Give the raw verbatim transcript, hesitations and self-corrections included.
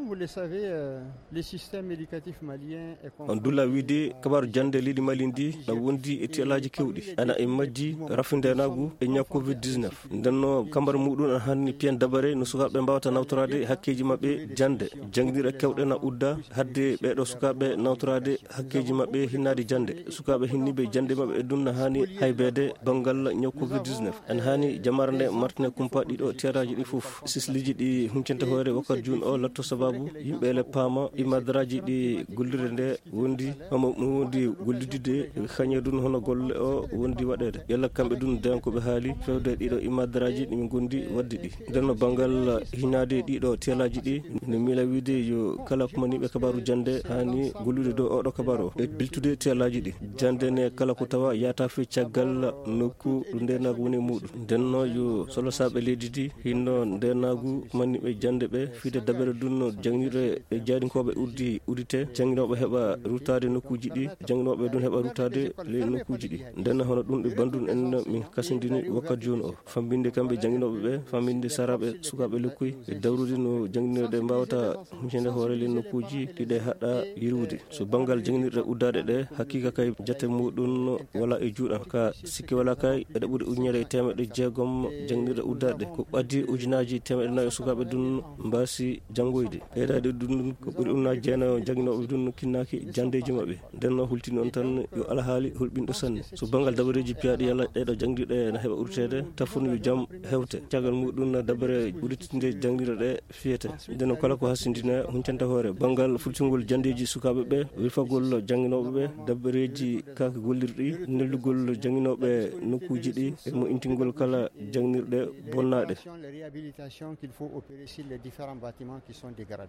Vous le savez, euh, le système éducatif malien est on dulla wiide kabaru jannde leydi Mali ndi na wondi e tiyalaaji kewɗi, ana e majji rafi ndeenaagu e ñaw covid dix-neuf. Ndenno kambar muɗum ana hanni piyan dabare no sukaaɓe mbawata nawtoraade hakkeeji maɓɓe jannde. Jannginirɗe kewɗe na udda hadde ɓeeɗo sukaaɓe nawtoraade hakkeeji maɓɓe hinnaade jannde. Sukaaɓe hinniiɓe jannde maɓɓe e ɗum na haani haybeede banngal ñaw covid dix-neuf. Ana haani jamaare nde martine kumpa ɗiɗo tiyalaaji ɗi fof. Sisliji ɗi huncanta hoore wakkati jun o latto sababu yimɓe ele paama imadaraaji ɗi gollirde nde wondi, homo ɗum wondi gollidde kañe ɗum hono golle o wondi waɗeede. Yalla kamɓe ɗum dañan ko ɓe haali fewde ɗiɗo imadaraaji ɗi min gondi waɗde ɗi. Ndenno banngal hinaade ɗiɗo tiyalaaji ɗi, ne miila wiide yo kala kumaniiɓe kabaru jannde haani gollude dow oɗo kabaru o e biltude tiyalaaji ɗi. Jannde ne kala ko tawa yaata fii caggal nokku ɗo ndeenaagu woni e muɗum. Ndenno yo solosaaɓe leydi ndi hinno ndeenaagu kumaniiɓe jannde ɓe fiide dabere ɗum no jannginirɗe e jaaɗinkooɓe uddi uddite, jannginooɓe heɓa ruttaade nokkuuji ɗi, jannginooɓe ɗum heɓa ruttaade ley nokkuuji ɗi. Ndenno hono ɗum ɗo banndum en min kasindini wakkati jooni o. Fammbinde kamɓe jannginooɓe ɓe, fammbinde saraaɓe sukaaɓe lekkoy, e dawrude no jannginirɗe mbawata huncande hoore ley nokkuuji ɗi ɗe haɗa yirwude. So banngal jannginirɗe uddaaɗe ɗe, haqiiqa kay jate muɗum wala e juuɗam. Ka sikke wala kay, eɗe ɓuri ujunere e teemeɗɗe jeegom jannginirɗe uddaaɗe. Ko ɓaddi ujunaaji teemeɗɗe nayo sukaaɓe ɗum mbaasi janngoyde. Ɓeydaade ɗum ko ɓuri ujunaaji jeenayo jannginooɓe ɗum kinnaaki janndeeji maɓɓe. Ndenno hultini on tan yo alhaali hulɓinɗo sanne. So banngal dabareeji piyaaɗi yalla ɗeɗo janngiɗe na heɓa urteede, tafon yo jam hewte. Caggal muɗum na dabare udditinde janngiɗe ɗe fiyete. Ndenno kala ko hasindina huncanta hoore. Banngal fultingol janndeeji sukaaɓe ɓe, wirfagol jannginooɓe ɓe, dabareeji kaaki gollirɗi, nellugol jannginooɓe nokkuuji ɗi, e mo intingol kala jannginirɗe bonnaaɗe. Les réhabilitations qu'il faut opérer sur les différents bâtiments qui sont dégradés.